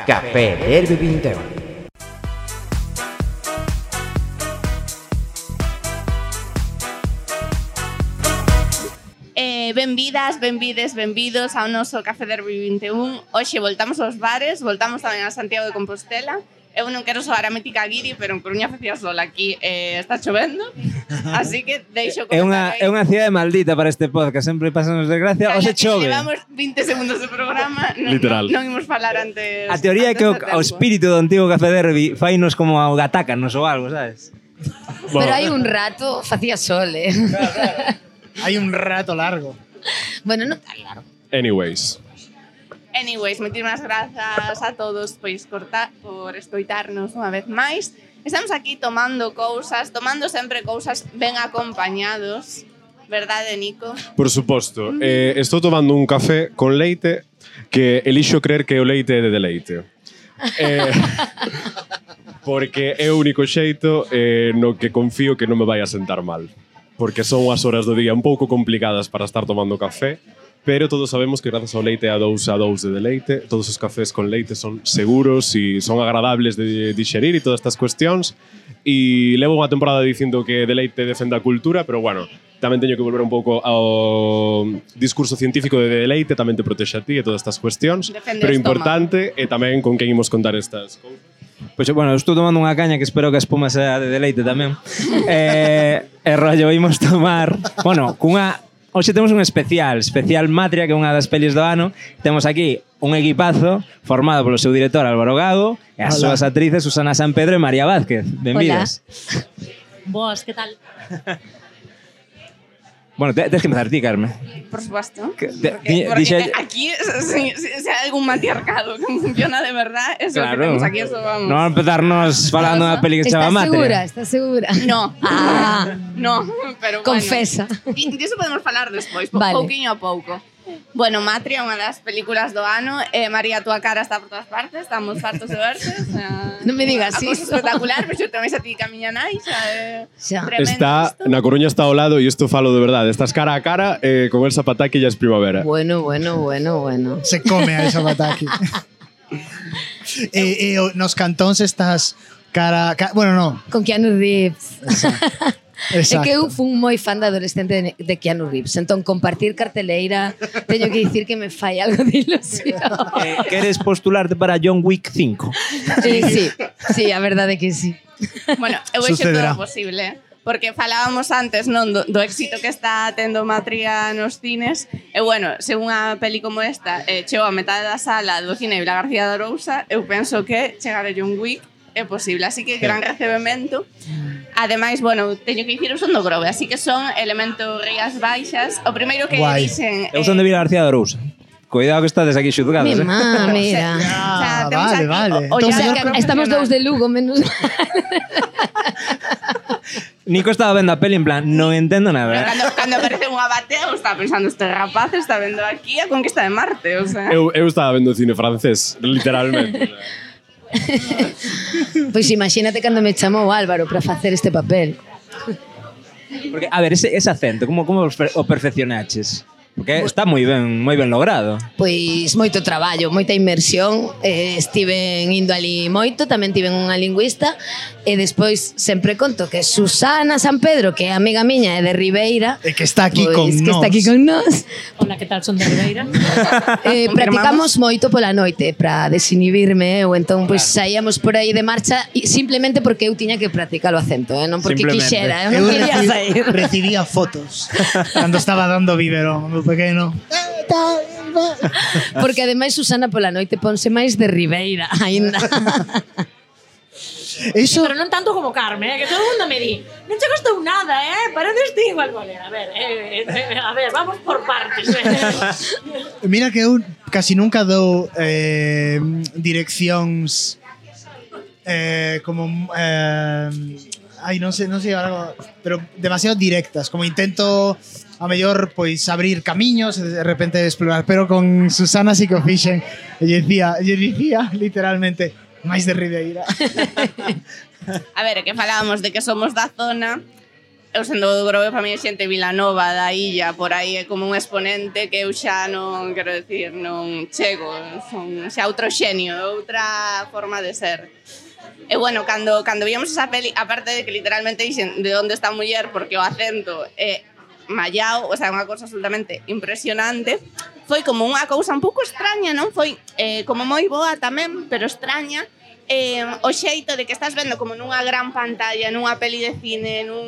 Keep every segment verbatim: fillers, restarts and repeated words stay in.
Café Derby vinte e un. Eh, benvidas, benvides, benvidos ao noso Café Derby vinte e un. Hoxe voltamos aos bares, voltamos tamén a Santiago de Compostela. Eu non quero soar a mítica guiri, pero en Coruña facía sol aquí eh, está chovendo, así que deixo É unha, é unha cidade maldita para este podcast, sempre pasanos desgracia, ou se chove. Levamos vinte segundos de programa, non, Literal. non, non imos falar antes. A teoría é que o, o espírito do antigo Café Derby fainos como ao gatácanos ou algo, sabes? Pero hai un rato facía sol, eh. Claro, claro. Hai un rato largo. Bueno, non tan largo. Anyways. Anyways, moitísimas grazas a todos pois cortar, por escoitarnos unha vez máis. Estamos aquí tomando cousas, tomando sempre cousas ben acompañados, verdade, Nico? Por suposto. Eh, estou tomando un café con leite que elixo creer que o leite é de deleite. Eh, porque é o único xeito eh, no que confío que non me vai a sentar mal. Porque son as horas do día un pouco complicadas para estar tomando café, pero todos sabemos que grazas ao leite a dous a dous de deleite, todos os cafés con leite son seguros e son agradables de digerir e todas estas cuestións. E levo unha temporada dicindo que deleite defende a cultura, pero bueno, tamén teño que volver un pouco ao discurso científico de deleite, tamén te protexe a ti e todas estas cuestións, Defende pero o importante é tamén con quen imos contar estas cousas. Pois, bueno, estou tomando unha caña que espero que a espuma sea de deleite tamén. eh, e rollo, imos tomar... Bueno, cunha... Hoxe temos un especial, especial Matria, que é unha das pelis do ano. Temos aquí un equipazo formado polo seu director Álvaro Gago e as Hola. súas actrices Susana Sampedro e María Vázquez. Benvidas. Boas, que tal? Bueno, te, tens que empezar ti, Carme. Por supuesto. Que- te- Porque, di- porque dixe- aquí, si, si, si hai algún matriarcado que funciona de verdad, eso Claro. que temos aquí, eso vamos. Non empezarnos falando da peli que se chama Estás Matria. segura? Estás segura? No. Ah. No, pero Confesa. bueno. E diso podemos falar despois, po, Vale. pouquiño a pouco. Bueno, Matria é unha das películas do ano. Eh, María, túa cara está por todas partes, estamos fartos de verte. O sea, Non me digas a cousa iso. espectacular, pero xo tamén a ti camiña nai, xa é Xa. tremendo Está, isto. na Coruña está ao lado e isto falo de verdade. Estás cara a cara eh, con el zapataki e ya es primavera. Bueno, bueno, bueno, bueno. Se come a esa bataki. e, e o- nos cantóns estás cara, ca, bueno, no. Con Keanu Reeves. É Exacto. que eu fun moi fan de adolescente de, de Keanu Reeves. Entón, compartir carteleira, teño que dicir que me fai algo de ilusión. Eh, queres postularte para John Wick cinco? Sí, sí, sí, a verdade é que sí. Bueno, eu vexo todo Sucederá. posible, porque falábamos antes, non, do, do éxito que está tendo Matria nos cines. E bueno, se unha peli como esta eh, chegou a metade da sala do cine Vila García de Arousa, eu penso que chegar a John Wick é posible, así que gran recebemento. Ademais, bueno, teño que dicir, eu son do Grove, así que son elementos Rías Baixas. O primeiro que Guai. dixen... Eu son de Vila García de Arousa. Cuidado que estades aquí xudgados, Mi eh? má, mira. Ah, temos vale, aquí vale. o- o Entón, O ya sea, señor que que estamos dous de Lugo, menos... Nico estaba vendo a peli en plan, non entendo Pero nada. cando, cando aparece unha batea, eu estaba pensando, este rapaz está vendo aquí a conquista de Marte, o sea... Eu, eu estaba vendo cine francés, literalmente. Pois imagínate cando me chamou Álvaro para facer este papel. Porque, a ver, ese, ese acento, como, como o perfeccionaches? Porque está moi ben, moi ben logrado. Pois moito traballo, moita inmersión, eh, estiven indo ali moito, tamén tiven unha lingüista e despois sempre conto que Susana Sampedro, que é amiga miña e de Ribeira, E que está aquí pois, con que nós. está aquí con nós. Hola, que tal? Son de Ribeira. Eh, Confirmamos. practicamos moito pola noite para desinhibirme eu, entón pois saíamos por aí de marcha e simplemente porque eu tiña que practicar o acento, eh? Non porque Simplemente. quixera, eu Eu non quería reci- sair. recibía fotos cando estaba dando biberón, meu pequeno. Porque ademais Susana pola noite ponse máis de Ribeira aínda. Eso, Pero non tanto como Carmen, eh, que todo o mundo me di non che costou nada, eh? Pareces ti igual con él. A ver, eh, eh, a ver, vamos por partes. Eh. mira que eu casi nunca dou eh, direccións eh, como eh, ai, non sei, non sei ahora, pero demasiado directas, como intento a mellor pois abrir camiños e de repente explorar, pero con Susana sí que o fixen e lle dicía, lle dicía literalmente máis de Ribeira. A ver, que falábamos de que somos da zona. eu sendo do Grove, para mí é xente Vilanova da illa, por aí é como un exponente que eu xa non, quero decir, non chego, son xa outro xenio, outra forma de ser. E bueno, cando, cando víamos esa peli, aparte de que literalmente dixen de onde está a muller, porque o acento é mallao, o sea, unha cousa absolutamente impresionante, foi como unha cousa un pouco extraña, non? Foi eh, como moi boa tamén, pero extraña, eh, o xeito de que estás vendo como nunha gran pantalla, nunha peli de cine, nun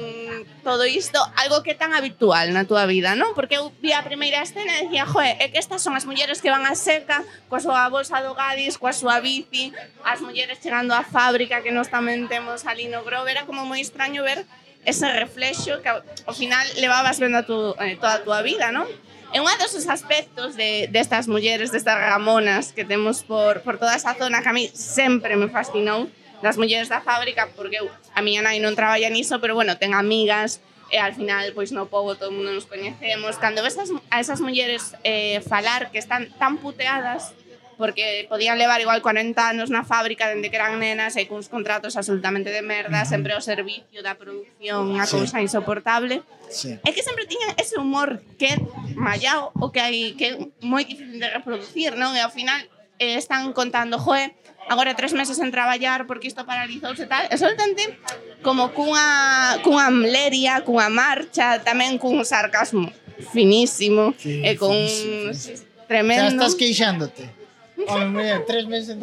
todo isto, algo que é tan habitual na túa vida, non? Porque eu vi a primeira escena e decía, joe, é que estas son as mulleres que van a seca, coa súa bolsa do Gadis, coa súa bici, as mulleres chegando á fábrica que nós tamén temos ali no Grove, era como moi extraño ver ese reflexo que ao final levabas vendo a tu, eh, toda a túa vida, non? É un dos aspectos de, destas mulleres, destas Ramonas que temos por, por toda esa zona que a mí sempre me fascinou, das mulleres da fábrica, porque eu, a miña nai non traballa niso, pero bueno, ten amigas, e al final, pois no pobo todo o mundo nos coñecemos. Cando ves a esas mulleres eh, falar que están tan puteadas, porque podían levar igual cuarenta anos na fábrica dende que eran nenas e cuns contratos absolutamente de merda, sempre ao servicio da producción, unha cousa insoportable. Sí. É que sempre tiñan ese humor que é mallao o que hai que é moi difícil de reproducir, non? E ao final eh, están contando, joe, agora tres meses en traballar porque isto paralizouse e tal, e soltamente como cunha, cunha mleria, cunha marcha, tamén cun sarcasmo finísimo, Sí, e con finísimo, finísimo. tremendo. Xa estás queixándote. Home, mira, tres meses en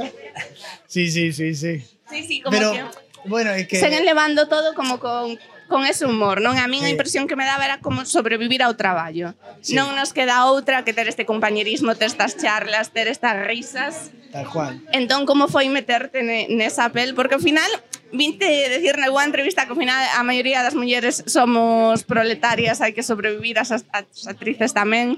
Sí, sí, sí, sí. Sí, sí, como Pero, que bueno, é que... seguen levando todo como con con ese humor, non? A min a Sí. impresión que me daba era como sobrevivir ao traballo. Sí. Non nos queda outra que ter este compañerismo, ter estas charlas, ter estas risas. Tal cual. Entón, como foi meterte ne, nesa pel? Porque ao final, vinte decir na boa entrevista que ao final a maioría das mulleres somos proletarias, hai que sobrevivir, as, as actrices tamén.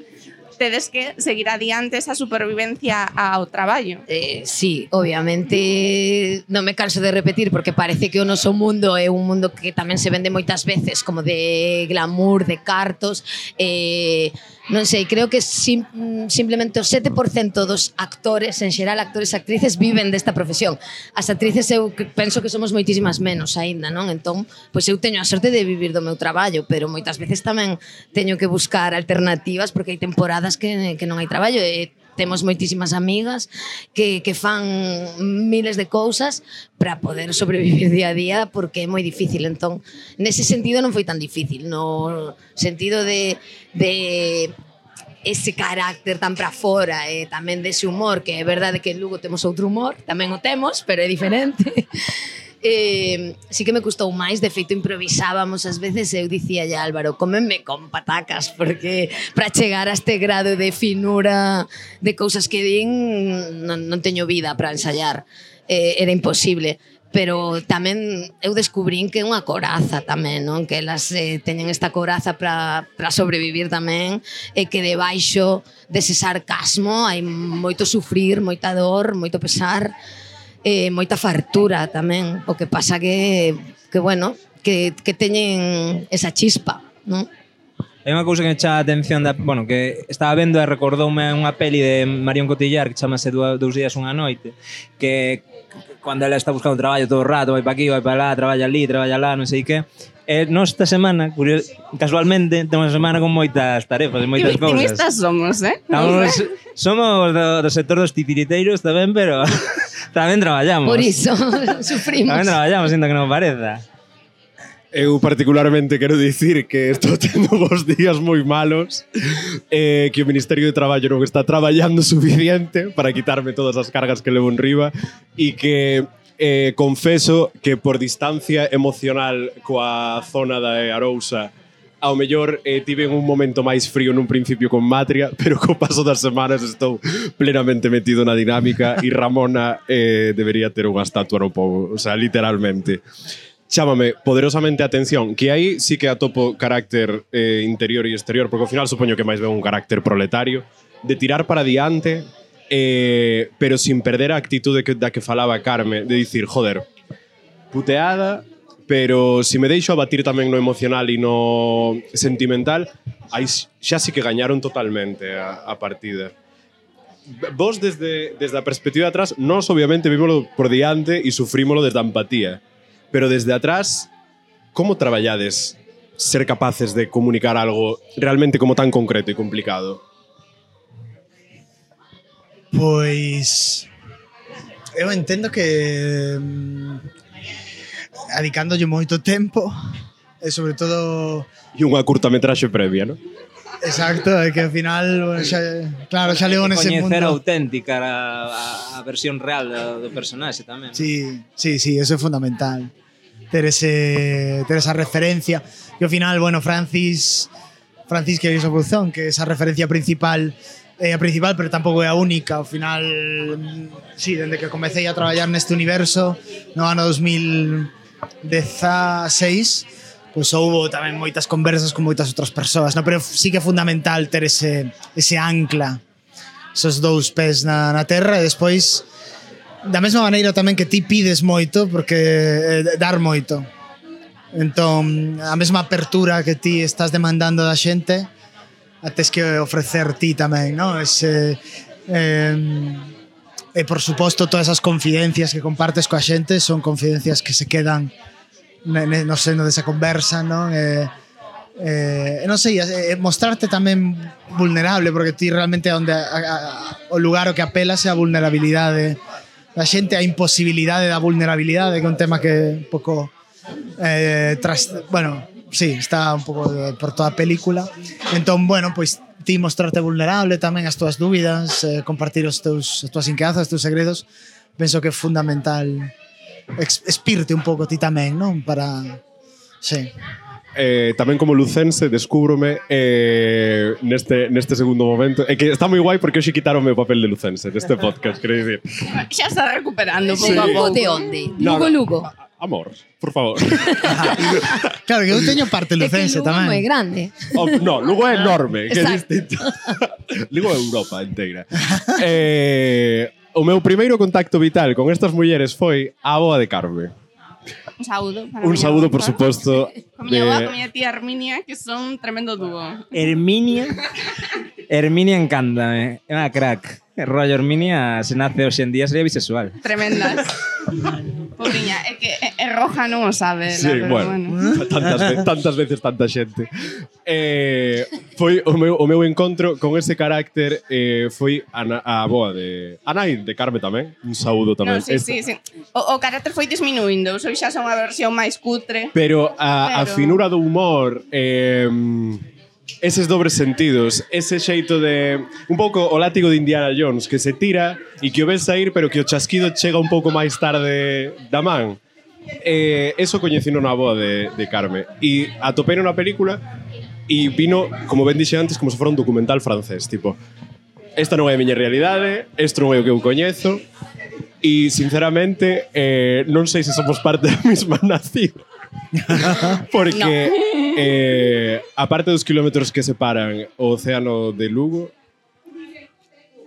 Tedes que seguir adiante esa supervivencia ao traballo. Eh, sí, obviamente non me canso de repetir porque parece que o noso mundo é un mundo que tamén se vende moitas veces como de glamour, de cartos, eh, non sei, creo que sim, simplemente o sete por cento dos actores, en xeral actores e actrices, viven desta profesión. As actrices eu penso que somos moitísimas menos aínda, non? Entón, pois eu teño a sorte de vivir do meu traballo, pero moitas veces tamén teño que buscar alternativas porque hai temporadas que, que non hai traballo e temos moitísimas amigas que, que fan miles de cousas para poder sobrevivir día a día porque é moi difícil. Entón, nese sentido non foi tan difícil, no sentido de, de ese carácter tan para fora e tamén dese humor, que é verdade que en Lugo temos outro humor, tamén o temos, pero é diferente. Eh, sí que me custou máis, de feito improvisábamos ás veces e eu dicía ya Álvaro, cómeme con patacas porque para chegar a este grado de finura de cousas que din non, non teño vida para ensayar, eh, era imposible, pero tamén eu descubrín que é unha coraza tamén, non? Que elas eh, teñen esta coraza para para sobrevivir tamén e que debaixo dese sarcasmo hai moito sufrir, moita dor, moito pesar, eh, moita fartura tamén, o que pasa que, que bueno, que, que teñen esa chispa, non? Hai unha cousa que me chama a atención da, bueno, que estaba vendo e recordoume unha peli de Marion Cotillard que chamase Dous días unha noite, que cando ela está buscando traballo todo o rato, vai para aquí, vai para lá, traballa ali, traballa lá, non sei que. E nós esta semana, curios, casualmente, temos unha semana con moitas tarefas e moitas Que cousas. victimistas somos, eh? Estamos, somos do, do sector dos titiriteiros tamén, pero tamén traballamos. Por iso sufrimos. Tamén traballamos, sinto que non pareza. Eu particularmente quero dicir que estou tendo vos días moi malos, eh, que o Ministerio de Traballo non está traballando suficiente para quitarme todas as cargas que levo en riba e que eh, confeso que por distancia emocional coa zona da Arousa ao mellor eh, tive un momento máis frío nun principio con Matria, pero co paso das semanas estou plenamente metido na dinámica e Ramona eh, debería ter unha estatua no pobo, o sea, literalmente. Chámame poderosamente a atención, que aí sí que atopo carácter eh, interior e exterior, porque ao final supoño que máis ben un carácter proletario, de tirar para diante, eh, pero sin perder a actitude que, da que falaba Carme, de dicir, joder, puteada, pero se si me deixo abatir tamén no emocional e no sentimental, aí xa sí que gañaron totalmente a, a partida. Vos desde, desde a perspectiva de atrás, nós obviamente vimoslo por diante e sufrímoslo desde a empatía. Pero desde atrás, como traballades ser capaces de comunicar algo realmente como tan concreto e complicado? Pois eu entendo que mm, adicándolle moito tempo e sobre todo E unha curtametraxe previa, non? exacto, é que ao final bueno, xa, claro, xa leo nese mundo. Coñecer auténtica a, a, a versión real do, do personaxe tamén. Sí, sí, sí, eso é fundamental. Ter ese ter esa referencia. E ao final, bueno, Francis Francis que é esa produción, que esa referencia principal é a principal, pero tampouco é a única. Ao final, sí, dende que comecei a traballar neste universo no ano dos mil dezasseis, pois houbo tamén moitas conversas con moitas outras persoas, no? Pero sí que é fundamental ter ese, ese ancla, esos dous pés na, na terra, e despois da mesma maneira tamén que ti pides moito, porque eh, dar moito. Entón, a mesma apertura que ti estás demandando da xente, a tes que ofrecer ti tamén, non? Ese, eh, e por suposto todas as confidencias que compartes coa xente son confidencias que se quedan no seno desa conversa, non? E, eh, non sei, eh, mostrarte tamén vulnerable, porque ti realmente onde a, a, o lugar o que apelas é a vulnerabilidade da xente, a imposibilidade da vulnerabilidade, que é un tema que un pouco eh, tras, bueno, sí, está un pouco de, por toda a película. Entón, bueno, pois ti mostrarte vulnerable tamén, as túas dúbidas, eh, compartir os teus, as túas inquedanzas, os teus segredos, penso que é fundamental expirte un pouco ti tamén, non? Para... Sí. Eh, tamén como lucense descúbrome eh, neste, neste segundo momento é que está moi guai porque hoxe quitaronme o papel de lucense deste podcast, quero dicir. Xa está recuperando pouco Sí. a pouco. De onde? No, Lugo, no. Lugo. Amor, por favor. Claro, que eu teño parte É que lucense Lugo é moi tamén. grande. Oh, no, Lugo é enorme, que é Exacto. distinto. Lugo é Europa inteira. Eh, o meu primeiro contacto vital con estas mulleres foi a avoa de Carme. Un saúdo. Para Un miña saúdo, avó, por suposto. Con miña avó, de- con miña tía Herminia, que son un tremendo dúo. Herminia Herminia encántame, é unha crack. El rollo Herminia, se nace hoxe en día, sería bisexual. Tremendas. Pobriña, é que é, é roja non o sabe. Sí, pero bueno, bueno. tantas, ve tantas veces tanta xente. Eh, foi o meu, o meu encontro con ese carácter eh, foi a, na- a boa de a nai de Carme tamén. Un saúdo tamén. No, sí, Esta- sí, sí. O, o carácter foi disminuindo, hoxe xa son a versión máis cutre. Pero a, a Pero- finura do humor, eh, eses dobres sentidos, ese xeito de un pouco o látigo de Indiana Jones que se tira e que o ves sair pero que o chasquido chega un pouco máis tarde da man. Eh, eso coñecino na boa de, de Carme e atopei na película e vino, como ben dixe antes, como se fora un documental francés, tipo, esta non é a miña realidade, isto non é o que eu coñezo e sinceramente eh, non sei se somos parte da mesma nación. Porque No. eh, a parte dos kilómetros que separan o océano de Lugo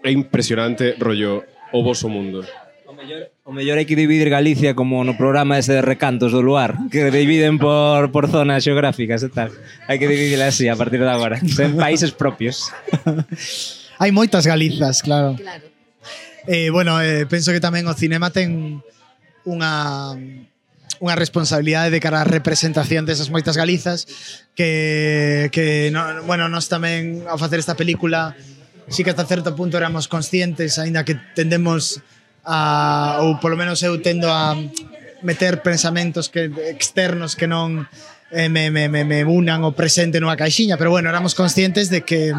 é impresionante, rollo, o voso mundo. O mellor, o mellor hai que dividir Galicia como no programa ese de recantos do luar, que dividen por, por zonas xeográficas e tal. Hai que dividirla así a partir de agora. Sen países propios. Hai moitas Galizas, claro. Claro. Eh, bueno, eh, penso que tamén o cinema ten unha unha responsabilidade de cara á representación desas moitas Galizas que, que no, bueno, nós tamén ao facer esta película sí que ata certo punto éramos conscientes, aínda que tendemos a, ou polo menos eu tendo a meter pensamentos que externos que non eh, me, me, me, me unan o presente nunha caixiña, pero bueno, éramos conscientes de que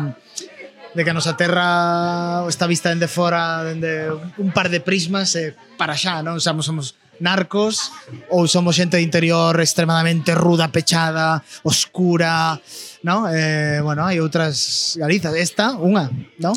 de que a nosa terra está vista dende fora, dende un par de prismas e para xa, non? Somos, somos narcos ou somos xente de interior extremadamente ruda, pechada, oscura, non? Eh, bueno, hai outras Galizas, esta, unha, non?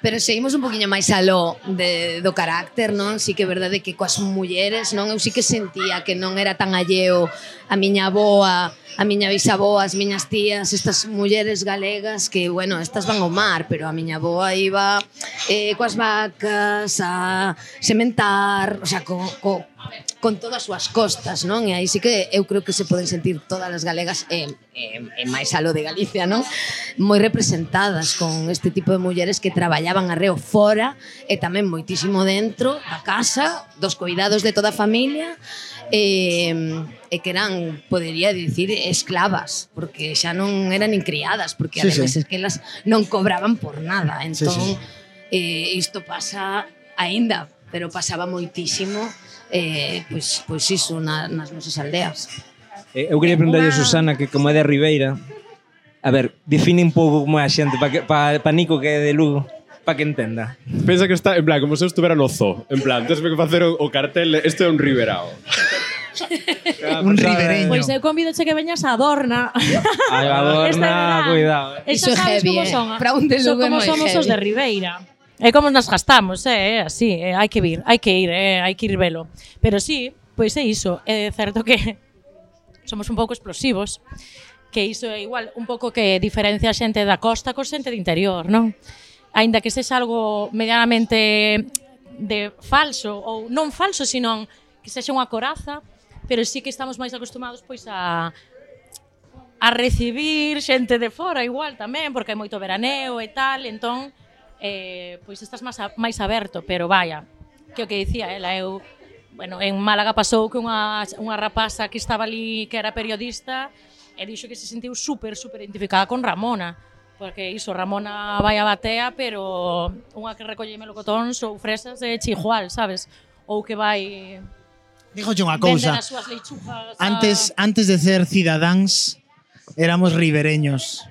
Pero seguimos un poquinho máis aló de, do carácter, non? Sí que é verdade que coas mulleres, non? Eu sí que sentía que non era tan alleo a miña avoa, a miña bisaboa, as miñas tías, estas mulleres galegas que, bueno, estas van ao mar, pero a miña avoa iba eh, coas vacas a sementar, o sea, co, co, con todas as súas costas, non? E aí sí que eu creo que se poden sentir todas as galegas e, e, e máis alo de Galicia, non? Moi representadas con este tipo de mulleres que traballaban arreo fora e tamén moitísimo dentro da casa, dos cuidados de toda a familia e, e que eran, podería dicir, esclavas, porque xa non eran nin criadas, porque Sí, ademais sí. es que elas non cobraban por nada. Entón, Sí, sí. eh, isto pasa aínda, pero pasaba moitísimo eh, pois, pois iso na, nas nosas aldeas. Eh, Eu quería preguntarlle a Susana que como é de Ribeira, a ver, define un pouco como é a xente para pa, pa Nico que é de Lugo, para que entenda. Pensa que está, en plan, como se eu estuvera no zoo. En plan, tens que facer o, o cartel, de, isto é un riberao. Un ribereño. Pois eu convidoche que veñas a Adorna. Ai, Este Adorna, verán. cuidado. E Iso xa é sabes heavy, como eh. son. Para un de son Lugo é como moi somos os heavy. de Ribeira. É como nos gastamos, é, eh, así, eh, hai que vir, hai que ir, eh, hai que ir velo. Pero sí, pois é iso, é certo que somos un pouco explosivos, que iso é igual un pouco que diferencia a xente da costa co xente de interior, non? Aínda que sexa algo medianamente de falso, ou non falso, sino que sexa unha coraza, pero sí que estamos máis acostumados pois a a recibir xente de fora igual tamén, porque hai moito veraneo e tal, entón eh, pois estás máis, a, máis aberto, pero vaya, que o que dicía ela, eu, bueno, en Málaga pasou que unha, unha rapaza que estaba ali, que era periodista, e dixo que se sentiu super, super identificada con Ramona, porque iso, Ramona vai a batea, pero unha que recolle melocotóns ou fresas é chigual, sabes? Ou que vai Dígoche unha vender cousa. as súas lechugas a... Antes, antes de ser cidadáns, éramos ribereños.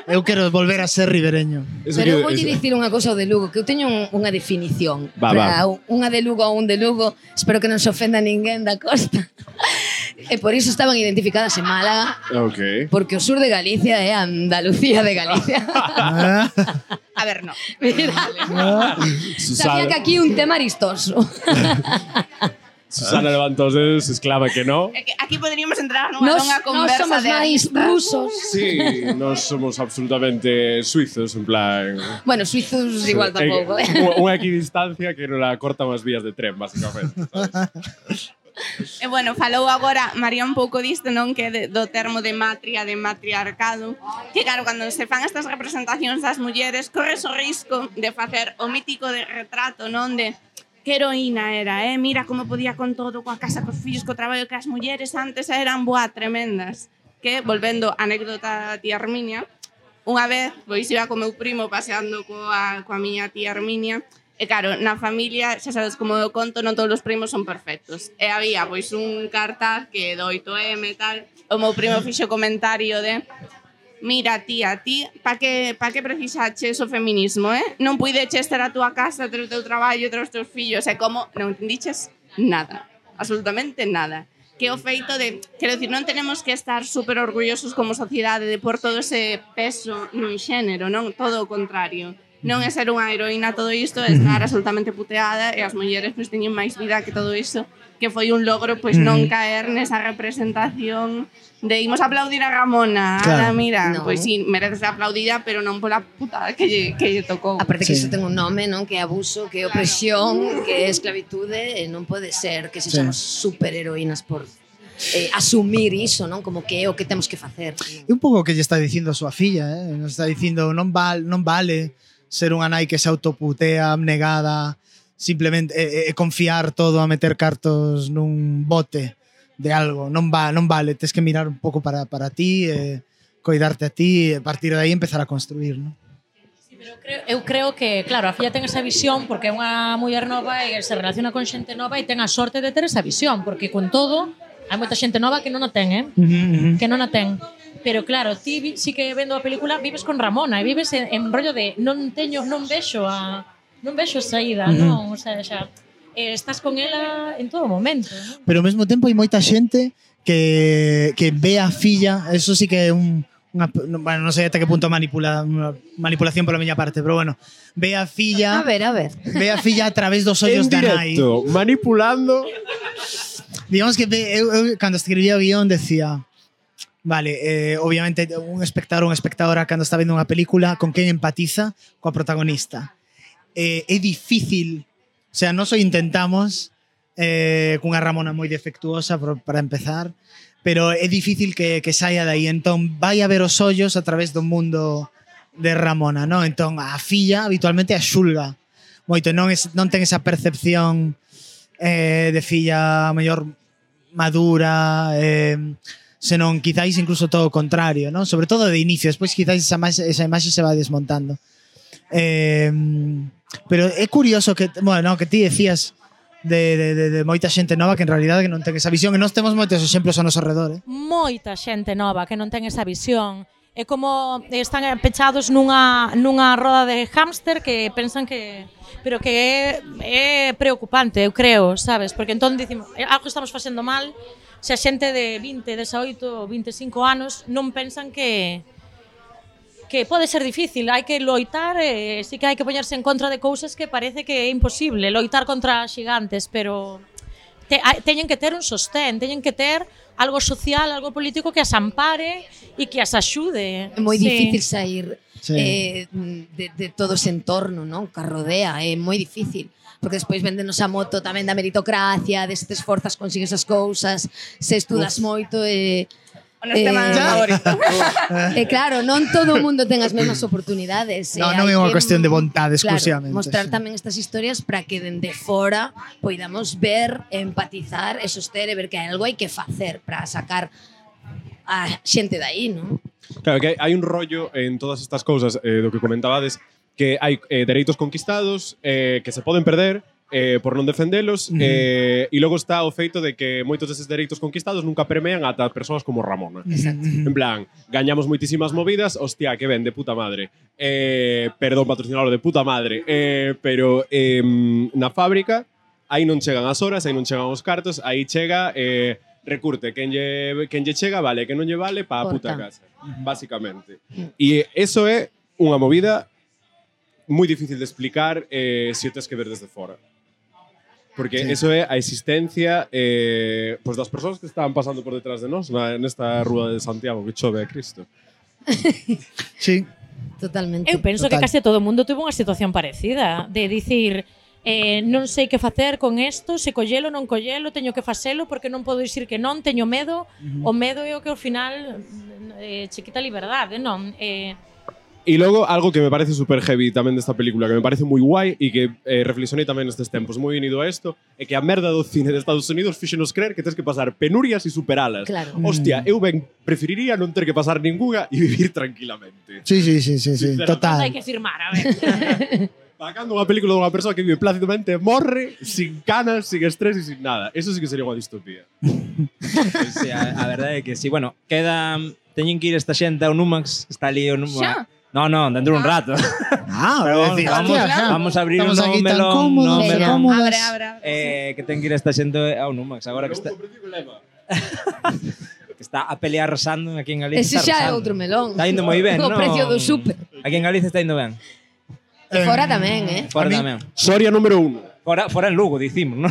Eu quero volver a ser ribereño. Eso Pero eu que- vou eso- dicir unha cousa ao de Lugo, que eu teño un, unha definición. Va, Para va. un- unha de Lugo a un de Lugo, espero que non se ofenda ninguén da costa. E por iso estaban identificadas en Málaga, Ok. porque o sur de Galicia é Andalucía de Galicia. Ah, A ver, no. Mira, ah. sabía que aquí un tema aristoso. Susana levanta os dedos, exclama que no. É que aquí poderíamos entrar nunha Nos, longa nos conversa somos de máis aristas. rusos. Sí, nós somos absolutamente suizos, en plan... Bueno, suizos igual tampouco, eh. Unha, unha equidistancia que non la cortan as vías de tren, basicamente. ¿sabes? E bueno, falou agora María un pouco disto, non, que de, do termo de matria, de matriarcado, que claro, cando se fan estas representacións das mulleres, corres o risco de facer o mítico de retrato, non, de que heroína era, eh? Mira como podía con todo, coa casa, cos fillos, co traballo, que as mulleres antes eran boa tremendas. Que, volvendo á anécdota da tía Herminia, unha vez, pois iba co meu primo paseando coa, coa miña tía Herminia, e claro, na familia, xa sabes como eu conto, non todos os primos son perfectos. E había, pois, un cartaz que do oito eme e tal, o meu primo fixo comentario de mira, tía, ti, pa que, pa que precisaches o feminismo, eh? Non puideches ter a túa casa, ter o teu traballo, ter os teus fillos, e como non entendiches nada, absolutamente nada. Que o feito de, quero dicir, non tenemos que estar super orgullosos como sociedade de por todo ese peso nun xénero, non? Todo o contrario. Non é ser unha heroína todo isto, é estar absolutamente puteada e as mulleres pois teñen máis vida que todo iso, que foi un logro pois non caer nesa representación de imos aplaudir a Ramona, Claro. ala, mira, No. pois sí, merece ser aplaudida, pero non pola putada que lle, que lle tocou. Aparte que Sí. iso ten un nome, non? Que é abuso, que é opresión, que é esclavitude, e non pode ser que sexamos superheroínas por eh, asumir iso, non? Como que é o que temos que facer. É un pouco o que lle está dicindo a súa filla, eh? Nos está dicindo non, val, non vale ser unha nai que se autoputea, abnegada, simplemente e, e confiar todo a meter cartos nun bote de algo. Non va, non vale, tes que mirar un pouco para, para ti, eh, coidarte a ti e a partir de aí empezar a construir, non? Pero creo, eu creo que, claro, a filla ten esa visión porque é unha muller nova e se relaciona con xente nova e ten a sorte de ter esa visión, porque con todo hai moita xente nova que non a ten, eh? Uh -huh, uh -huh. Que non a ten. Pero claro, ti vi- sí que vendo a película vives con Ramona e vives en, en rollo de non teño, non vexo a non vexo saída, Uh -huh. non, o sea, xa eh, estás con ela en todo momento, non? Pero ao mesmo tempo hai moita xente que, que ve a filla, eso sí que é un unha, bueno, non sei até que punto manipula, unha manipulación pola miña parte, pero bueno, ve a A filla, ver, a ver. ve a filla a través dos En ollos da nai. directo, manipulando. Digamos que ve, eu, eu cando escribía o guión decía, vale, eh, obviamente un espectador ou unha espectadora cando está vendo unha película con quen empatiza coa protagonista. Eh, é difícil, o sea, nós o intentamos, eh, cunha Ramona moi defectuosa por, para empezar, pero é difícil que, que saia daí, entón vai a ver os ollos a través do mundo de Ramona, non? Entón a filla habitualmente a xulga moito, non, es, non ten esa percepción eh, de filla mellor madura, eh, senón quizáis incluso todo o contrario, non? Sobre todo de inicio, despois quizáis esa, esa imaxe se va desmontando. Eh, pero é curioso que, bueno, que ti decías de, de, de, de moita xente nova que en realidad que non ten esa visión, e nós temos moitos exemplos ao noso redor, eh? Moita xente nova que non ten esa visión. É como están pechados nunha, nunha roda de hámster que pensan que... Pero que é, é preocupante, eu creo, sabes? Porque entón dicimos, algo estamos facendo mal se a xente de vinte, dezaoito, vinte e cinco anos non pensan que que pode ser difícil, hai que loitar, e sí que hai que poñerse en contra de cousas que parece que é imposible, loitar contra xigantes, pero te, a, teñen que ter un sostén, teñen que ter algo social, algo político que as ampare e que as axude. É moi Sí. difícil sair Sí. eh, de, de todo ese entorno, non? Que a rodea, é moi difícil. Porque despois véndenos a moto tamén da meritocracia, de se te esforzas consigues as cousas, se estudas Uf. moito e... O nos tema Eh, favorito. E claro, non todo o mundo ten as mesmas oportunidades. No, e non hai é unha que, cuestión de vontade claro, exclusivamente. mostrar Sí. tamén estas historias para que dende fora poidamos ver, empatizar e soster e ver que algo hai que facer para sacar a xente de aí, non? Claro, que hai un rollo en todas estas cousas eh, do que comentabades, que hai eh, dereitos conquistados eh, que se poden perder eh, por non defendelos, uh -huh. eh, e logo está o feito de que moitos deses dereitos conquistados nunca permean ata persoas como Ramona. Exacto. En plan, gañamos moitísimas movidas, hostia, que ben, de puta madre. Eh, perdón, patrocinador, de puta madre. Eh, pero eh, na fábrica, aí non chegan as horas, aí non chegan os cartos, aí chega... Eh, recurte, quen lle, quen lle chega vale, que non lle vale pa a puta casa, basicamente. E eso é unha movida moi difícil de explicar eh, se o tes que ver desde fora. Porque sí. eso é a existencia eh, pues das persoas que estaban pasando por detrás de nós na, nesta rúa de Santiago que chove a Cristo. Sí. Totalmente. Eu penso Total. que case todo o mundo tuvo unha situación parecida, de dicir, eh, non sei que facer con isto, se collelo, non collelo, teño que facelo porque non podo dicir que non, teño medo. Uh-huh. O medo é o que ao final eh, che quita liberdade, non? Eh, E logo, algo que me parece super heavy tamén desta película, que me parece moi guai e que eh, reflexionei tamén nestes tempos, moi unido a isto, é que a merda do cine de Estados Unidos fíxenos creer que tens que pasar penurias e superalas. Claro. Hostia, eu ben preferiría non ter que pasar ninguna e vivir tranquilamente. Sí, sí, sí, sí, sí. non Total. hai que firmar, a ver. Sacando unha película dunha persoa que vive plácidamente, morre, sin canas, sin estrés e sin nada. Eso sí que sería unha distopía. Pois sí, a, a verdade é que sí. Bueno, queda... Teñen que ir esta xente ao Numax. Está ali o Numax. Xa? No, no, dentro un rato. Ah, Pero vamos, decir, vamos, vamos, hostia, vamos a abrir un estamos novo aquí tan melón. cómodos, No, Venga. melón. cómodas. Abre, abre, abre. Eh, que ten que ir esta xente ao Numax. Agora que está, que está a pelear arrasando aquí en Galicia. Ese está xa é arrasando. outro melón. Está indo moi ben, O non? precio do súper. Aquí en Galicia está indo ben. E fora tamén, eh? Fora A mí- tamén. Soria número uno. Fora, fora en Lugo, dicimos, non?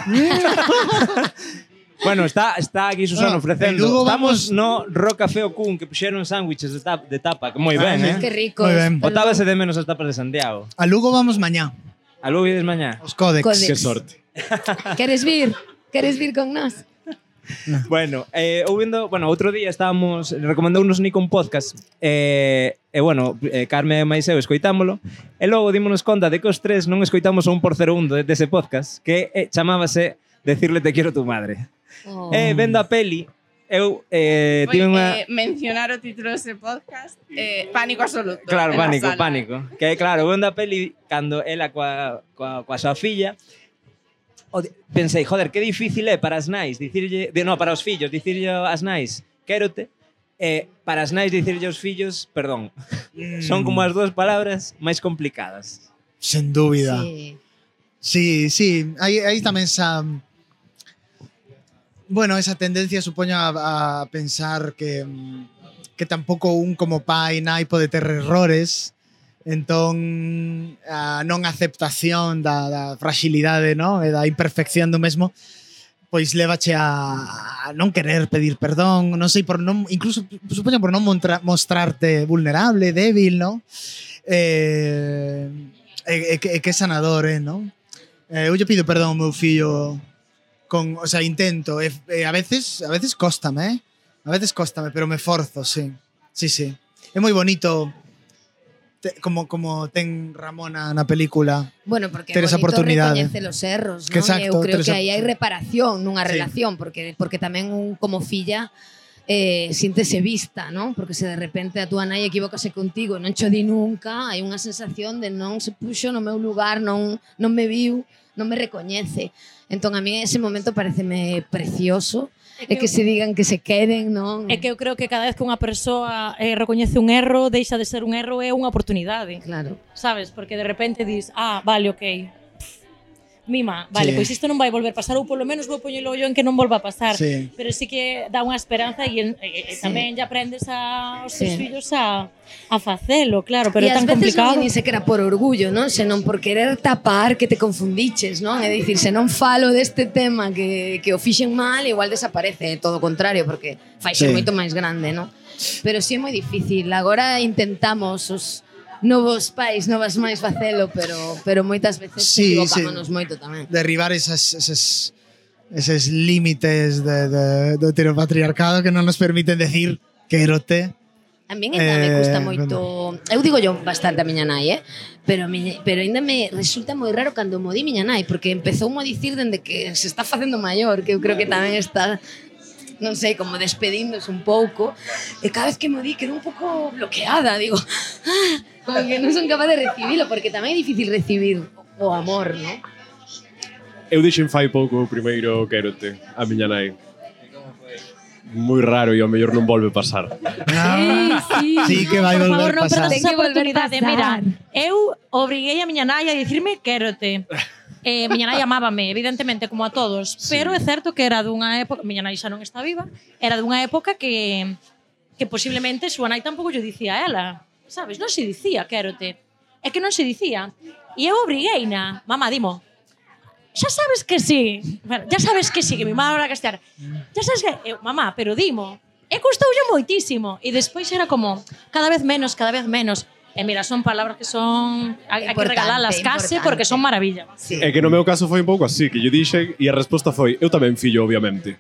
Bueno, está, está aquí Susana Bueno, ofrecendo. en Lugo Estamos vamos- no Roca Feo Cun, que puxeron sándwiches de, tap, de tapa, que moi ben, Ah, eh? Que rico. Moi ben. Botábase de menos as tapas de Santiago. A Lugo vamos mañá. A Lugo ides mañá. Os códex. Códex. Que sorte. Queres vir? Queres vir con nós? Bueno, eh, ou vendo, bueno, outro día estábamos recomendounos Nico un podcast. Eh, e bueno, eh, Carme e máis eu escoitámolo. E logo dímonos conta de que os tres non escoitamos o un por cero un de, dese podcast, que eh, chamábase Decirle te quiero tu madre. Oh. E vendo a peli, eu eh, Foi tive unha... eh, mencionar o título dese podcast, eh, Pánico Absoluto. Claro, en la pánico, sala. pánico. Que claro, vendo a peli cando ela coa, coa, coa súa filla, o di- pensei, joder, que difícil é para as nais dicirlle, de, no, para os fillos, dicirlle as nais, quérote, e para as nais dicirlle aos fillos, perdón. Mm. Son como as dúas palabras máis complicadas. Sen dúbida. Sí. Sí, sí. Hai, hai tamén esa... Bueno, esa tendencia supoño a, a pensar que, mm, que tampouco un como pai nai pode ter errores, entón a non aceptación da, da fragilidade, no? E da imperfección do mesmo, pois lévache a, a non querer pedir perdón, non sei, por non, incluso supoño por non montra, mostrarte vulnerable, débil, no? Eh, e, e, que, e que sanador, eh, no? Eh, eu lle pido perdón ao meu fillo con, o sea, intento, e, e a veces, a veces cóstame, eh? A veces cóstame, pero me forzo, sí. Sí, sí. É moi bonito te, como como ten Ramona na película. Bueno, porque ter é esa bonito oportunidade. recoñece los erros, Que non? exacto, Eu creo ter que esa- aí hai reparación nunha Sí. relación, porque porque tamén un como filla eh, síntese vista, non? Porque se de repente a túa nai equivócase contigo e non cho di nunca, hai unha sensación de non se puxo no meu lugar, non, non me viu, non me recoñece. Entón, a mí ese momento pareceme precioso, e que se digan que se queren, non? É que eu creo que cada vez que unha persoa eh, recoñece un erro, deixa de ser un erro, é unha oportunidade. Claro. Sabes? Porque de repente dis, ah, vale, ok. Mima, vale, Sí. pois isto non vai volver a pasar, ou polo menos vou poñelo ollo en que non volva a pasar. Sí. Pero sí que dá unha esperanza e, e, e Sí. tamén lle aprendes a, aos Sí. teus fillos a, a facelo, claro, pero E é ás tan veces complicado. non é ni sequera por orgullo, non? Senón por querer tapar que te confundiches, non? É dicir, se non falo deste tema que, que o fixen mal, igual desaparece, é todo o contrario, porque fai ser Sí. moito máis grande, non? Pero sí é moi difícil. Agora intentamos os novos pais, novas máis facelo, pero pero moitas veces Sí, equivocámonos sí. moito tamén. Derribar esas, esas, esos límites de, de, do heteropatriarcado que non nos permiten decir quérote. A min ainda me Eh, custa moito. Eu digo yo bastante a miña nai, eh? Pero a miña, pero ainda me resulta moi raro cando mo di miña nai, porque empezou mo a dicir dende que se está facendo maior, que eu creo que tamén está, non sei, como despedíndose un pouco. E cada vez que mo di quedo un pouco bloqueada, digo, ah, como que non son capaz de recibilo, porque tamén é difícil recibir o amor, non? Eu dixen fai pouco o primeiro quérote a miña nai. Moi raro e ao mellor non volve pasar. Ah, sí que vai Por volver favor, non pasar. perdas Ten esa que volver oportunidade. pasar. Mira, eu obriguei a miña nai a dicirme quérote. Eh, miña nai amábame, evidentemente, como a todos, sí. Pero é certo que era dunha época, miña nai xa non está viva, era dunha época que que posiblemente súa nai tampouco lle dicía a ela, sabes? Non se dicía quérote. É que non se dicía. E eu obrigueina, mamá, dimo, xa sabes que sí, bueno, ya sabes que sí, que mi mamá era castellar, ya sabes que, eu, mamá, pero dimo, e custoulle moitísimo, e despois era como, cada vez menos, cada vez menos, e mira, son palabras que son, hai, hai que Importante, regalalas case, importante. porque son maravilla. Sí. É que no meu caso foi un pouco así, que lle dixen e a resposta foi eu tamén fillo, obviamente.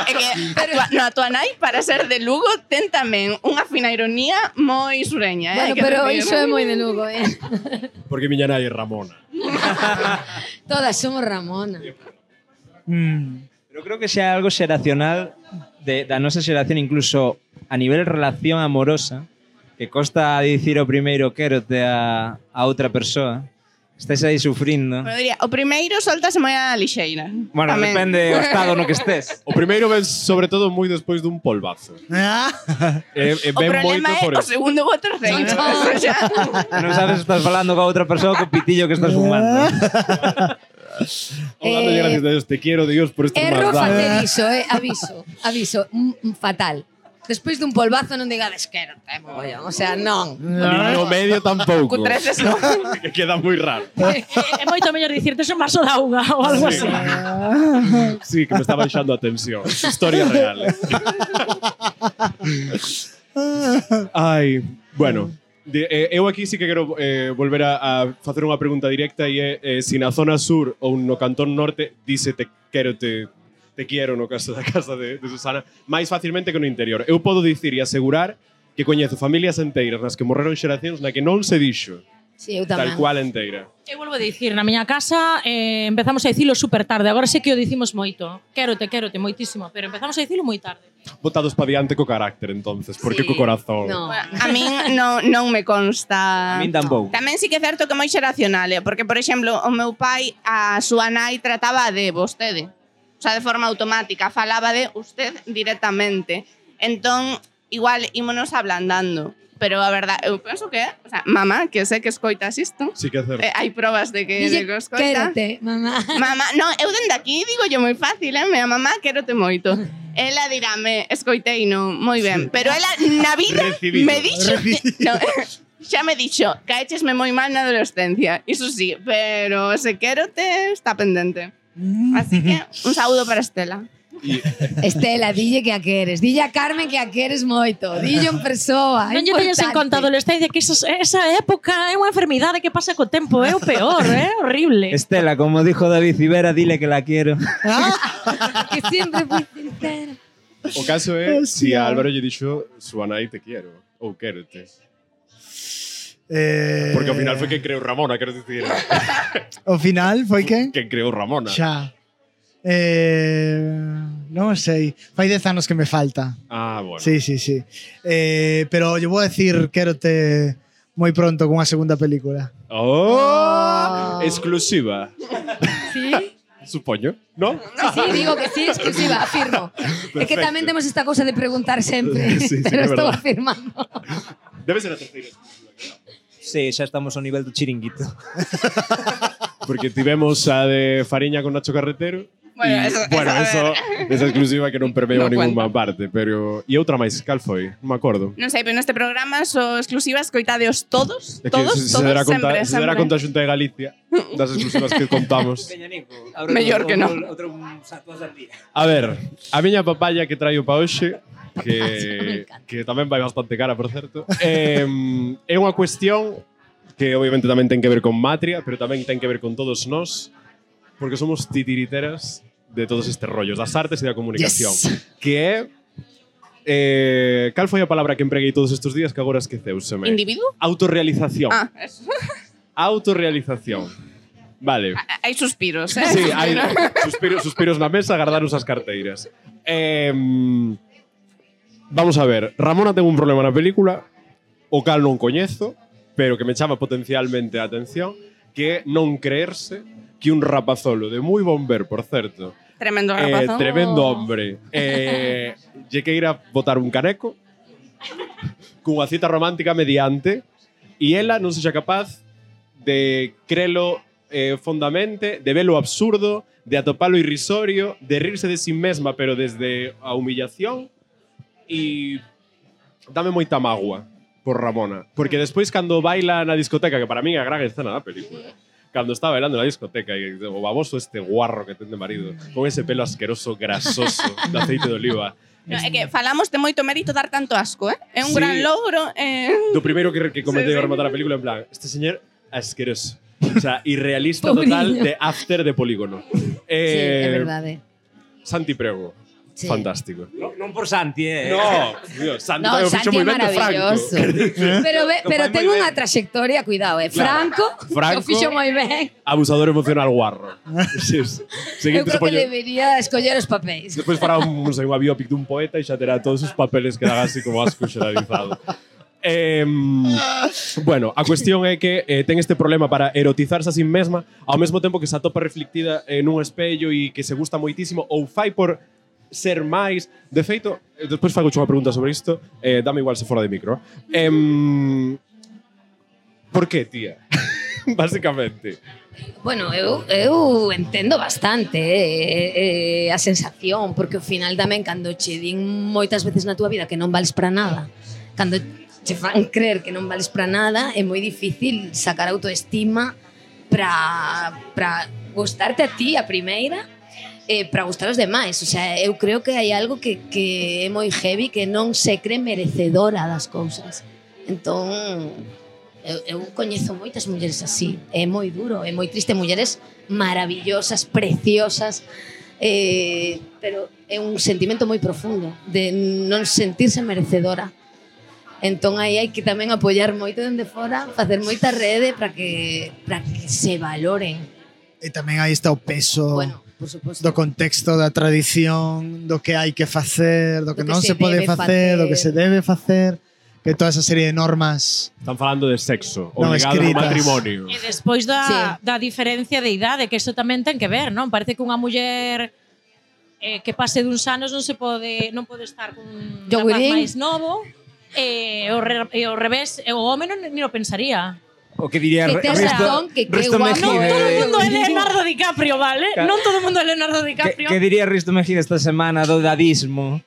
É que a tua, no, a tua nai, para ser de Lugo, ten tamén unha fina ironía moi sureña. Eh? Bueno, hai que pero decir. iso é moi de Lugo, eh? Porque miña nai é Ramona. Todas somos Ramona. Mm. Pero creo que xa é algo xeracional de, da nosa xeración, incluso a nivel relación amorosa, que costa dicir o primeiro quérote a, a outra persoa. Estáis aí sufrindo. Pero diría, o primeiro soltase moi a lixeira. Bueno, Tamén. depende do estado no que estes. O primeiro ven sobre todo moi despois dun polvazo. Ah, E, e O ven problema moito é por o eso. segundo ou o terceiro. Eso xa. Non sabes se estás falando con outra persoa co pitillo que estás fumando. O dando Eh, gracias a Dios, te quiero, Dios, por estos Erro maldades. facer iso, eh? Aviso, aviso, mm, mm, fatal. Despois dun polvazo non digades quérote, mogollón. O sea, non. Ni no medio tampouco. Cutreces non. Que queda moi raro. É, é moito mellor dicirte un vaso de auga ou algo Sí. así. Sí, que me está baixando a tensión. Historia real. Eh. Ai, bueno. De, eh, eu aquí sí que quero eh, volver a, a facer unha pregunta directa e é eh, se na zona sur ou no cantón norte dice te quero te, te quiero no caso da casa de, de Susana máis facilmente que no interior. Eu podo dicir e asegurar que coñezo familias enteiras nas que morreron xeracións na que non se dixo Sí, eu tal tamén. cual enteira. Eu volvo a dicir, na miña casa eh, empezamos a dicilo super tarde. Agora sei que o dicimos moito. Quérote, quérote, moitísimo. Pero empezamos a dicilo moi tarde. Botados pa diante co carácter entonces, porque Sí. co corazón. No. A min non, non me consta. A min tampouco. Tamén sí que é certo que é moi xeracional, eh? Porque, por exemplo, o meu pai, a súa nai trataba de vostede. O sea, de forma automática. Falaba de usted directamente. Entón, igual, ímonos ablandando. Pero a verdade, eu penso que, o sea, mamá, que sei que escoitas isto, Sí que é certo. eh, hai probas de que, de Dille que o escoita. quérote, mamá. Mamá, non, eu dende aquí digo yo moi fácil, eh? Mea mamá, quérote moito. Ela dirame, escoitei no, moi ben. Pero ela na vida Recibido. me dixo... No, xa me dixo, caéchesme moi mal na adolescencia. Iso sí, pero ese quérote está pendente. Así que, un saúdo para Estela. E, Estela, dille que a queres. Dille a Carmen que a queres moito. Dille en persoa. Non lle teñas en conta a adolescencia que esa, esa época é unha enfermidade que pasa co tempo, é o peor, é horrible. Estela, como dijo David Civera, dile que la quiero. Que sempre fui sincera. o caso é si a Álvaro lle dixo súa nai te quiero ou quérote. Eh, Porque ao final foi quen creou Ramona, quero dicir. Ao final foi quen? Quen creou Ramona. Xa. Eh, non sei. Fai dez anos que me falta. Ah, bueno. Sí, sí, sí. Eh, pero yo vou a decir quérote moi pronto con unha segunda película. Oh, Oh. exclusiva. Sí? Supoño, ¿no? Sí, sí, digo que sí, exclusiva, afirmo. É que tamén temos esta cousa de preguntar sempre, Sí, sí, pero é estou verdad. afirmando. Debe ser a terceira. Sí, xa estamos ao nivel do chiringuito. Porque tivemos a de Fariña con Nacho Carretero. Bueno, y, eso- bueno, eso, a eso, esa exclusiva que non permeo No a ninguna cuenta. parte, pero e outra máis, cal foi? Non me acordo. Non sei, pero neste programa so exclusivas, coitadeos todos, É que todos, se, se todos, dará conta, sempre, se dará sempre. conta a Xunta de Galicia das exclusivas que contamos. Mellor que non. Outro satos al día. A ver, a miña papaya que traio pa hoxe Me que, encanta. que tamén vai bastante cara, por certo. Eh, é unha cuestión que obviamente tamén ten que ver con Matria, pero tamén ten que ver con todos nós, porque somos titiriteras de todos estes rollos, das artes e da comunicación. Yes. Que é... Eh, cal foi a palabra que empreguei todos estes días que agora esqueceuseme? Individuo? Autorrealización. Ah, eso. Autorrealización. Vale. Hai suspiros, eh? Sí, hai suspiros, suspiros na mesa, guardaros as carteiras. Eh, vamos a ver, Ramona ten un problema na película, o cal non coñezo, pero que me chama potencialmente a atención, que é non creerse que un rapazolo de moi bon ver, por certo, Tremendo eh, rapazón. tremendo hombre, eh, lle que ir a botar un caneco cunha cita romántica mediante e ela non sexa capaz de crelo eh, fondamente, de velo absurdo, de atopalo irrisorio, de rirse de sí mesma pero desde a humillación e dame moita mágoa por Ramona, porque despois cando baila na discoteca, que para min é a gran escena da película, cando está bailando na discoteca e o baboso este guarro que ten de marido con ese pelo asqueroso, grasoso de aceite de oliva. No, é que falamos de moito mérito dar tanto asco, eh? É un Sí. gran logro. Eh... Do primeiro que, que comenté Sí, sí. a rematar a película en plan, este señor asqueroso. O sea, irrealista total Pobriño. de after de polígono. Sí, Eh, é verdade. Santi Prego. Sí. Fantástico. No, non por Santi, eh. No, Dios, Santi No, tamén o fixo Santi é moi ben de maravilloso. Franco. Pero, ve, pero Fai ten moi unha ben. trayectoria, cuidado, eh. Claro. Franco, Franco. o fixo moi ben. Abusador emocional guarro. Sí, sí. Eu Seguinte, creo que supoño, debería escoller os papéis. despois fará un, non sei, unha biopic dun poeta e xa terá todos os papeles que dan así como asco xeralizado. Eh, bueno, a cuestión é que eh, ten este problema para erotizarse a sí mesma ao mesmo tempo que se atopa reflectida en un espello e que se gusta moitísimo ou fai por ser máis. De feito, eh, despois fago unha pregunta sobre isto, eh, dame igual se fora de micro. Eh, por que, tía? Básicamente. Bueno, eu, eu entendo bastante eh, eh, a sensación, porque ao final tamén cando che din moitas veces na túa vida que non vales para nada, cando che fan creer que non vales para nada, é moi difícil sacar autoestima para para gustarte a ti a primeira e para gustar aos demais. O sea, eu creo que hai algo que, que é moi heavy, que non se cree merecedora das cousas. Entón, eu, eu coñezo moitas mulleres así. É moi duro, é moi triste. Mulleres maravillosas, preciosas, eh, pero é un sentimento moi profundo de non sentirse merecedora. Entón aí hai que tamén apoiar moito dende fora, facer moita rede para que para que se valoren. E tamén aí está o peso Bueno, por suposto. do contexto, da tradición, do que hai que facer, do que Do que non se se, pode debe facer, do que facer. se debe facer, que toda esa serie de normas Están falando de sexo, Non obligado ao escritas. matrimonio. E despois da, Sí. da diferencia de idade, que eso tamén ten que ver, non? Parece que unha muller eh, que pase duns anos non se pode non pode estar con un rapaz Yogurín. máis novo, e o, re, e o revés, e o home non, ni o pensaría. O que diría Que tes Risto, razón, que que Risto guapo. Non Mejide. todo o mundo é Leonardo DiCaprio, vale? Ca- Non todo o mundo é Leonardo Que, DiCaprio. que diría Risto Mejide esta semana do dadismo?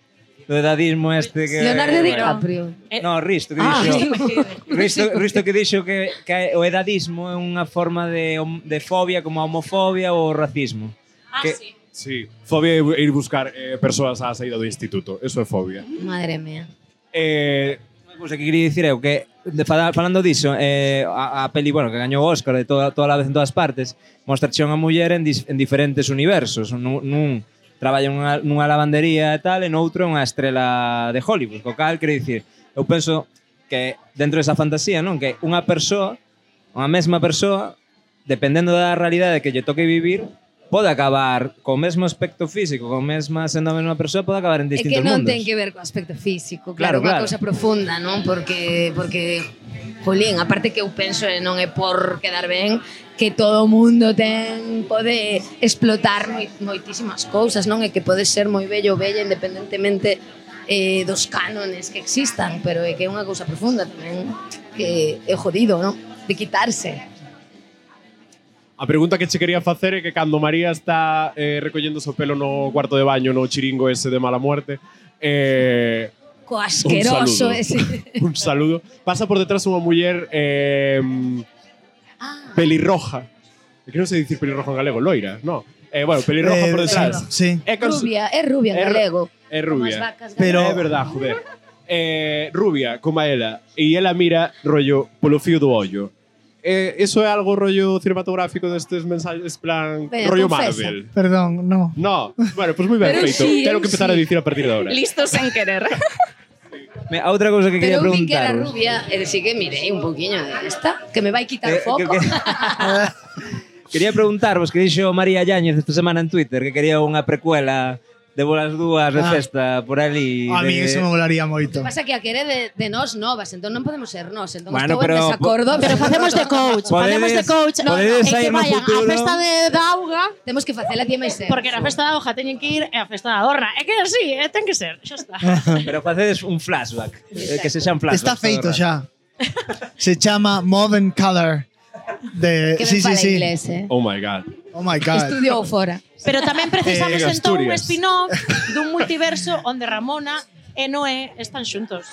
Do dadismo este que... Leonardo bueno. DiCaprio. Eh, No, Risto que Ah, dixo. Risto Mejide. Risto, Risto que dixo que, que o edadismo é unha forma de, hom- de fobia como a homofobia ou o racismo. Ah, que, sí. Sí, fobia é ir buscar eh, persoas á saída do instituto. Eso é fobia. Madre mía. Eh, Unha cousa que quería dicir é o que de, falando diso, eh, a, a peli, bueno, que gañou o Óscar de toda, toda a vez en todas partes, mostra xa unha muller en, dis, en diferentes universos. Nun, nun traballa nunha, nunha lavandería e tal, e noutro é unha estrela de Hollywood. Co cal, quero dicir, eu penso que dentro desa fantasía, non, que unha persoa, unha mesma persoa, dependendo da realidade que lle toque vivir, pode acabar co mesmo aspecto físico, co mesma sendo a mesma persoa, pode acabar en É distintos que non mundos. ten que ver co aspecto físico, Claro, claro, unha claro. cousa profunda, non? Porque, porque jolín, aparte que eu penso e non é por quedar ben, que todo o mundo ten pode explotar moi, moitísimas cousas, non? E que pode ser moi bello ou bella independentemente eh, dos cánones que existan, pero é que é unha cousa profunda tamén que é jodido, non? De quitarse. A pregunta que che quería facer é que cando María está eh, recollendo o pelo no cuarto de baño no chiringo ese de mala muerte, eh, Co asqueroso un saludo, ese. un saludo. Pasa por detrás unha muller eh, Ah, pelirroja. É que non sei dicir pelirroja en galego, loira, no. Eh, bueno, pelirroja Eh, por detrás. Sí. É cons- rubia, é rubia en É ru- galego. é rubia. Como as vacas Pero- galegas. É verdad, joder. Eh, rubia, como a ela. E ela mira rollo polo fío do ollo. Eh, eso é algo rollo cinematográfico destes mensajes plan Veña, rollo confesa. Marvel. Perdón, no. No, bueno, pues moi ben Pero feito. sí, Quero que empezar sí. a dicir a partir de ahora. Listos sen querer. Me, a outra cousa que quería Pero eu vi que era preguntaros. rubia, e sí que mirei un poquinho de esta, que me vai quitar Eh, o foco. que- que- Quería preguntarvos que dixo María Yáñez esta semana en Twitter que quería unha precuela de bolas dúas de Ah. festa por ali. A mí de... eso me molaría moito. Pasa que a quere de, de nós novas, entón non podemos ser nós, entón Bueno, estou pero- en desacordo. Pero facemos de coach, Podedes- facemos de coach. podedes e que sair no vayan futuro. á festa de Dauga, Temos que facela ti máis ser. porque na festa da Hoja teñen que ir e a festa da Dorna. É que así, é, ten que ser, xa está. Pero facedes un flashback, eh, que se xan flashbacks. Está feito todo o rato. xa. Se chama Modern Color. De, Que sí, ben sí, fala sí. inglés, eh. Oh my god. Oh my god. Estudiou fora. Pero tamén precisamos Eh, entón un Asturias. spin-off dun multiverso onde Ramona e Noé están xuntos.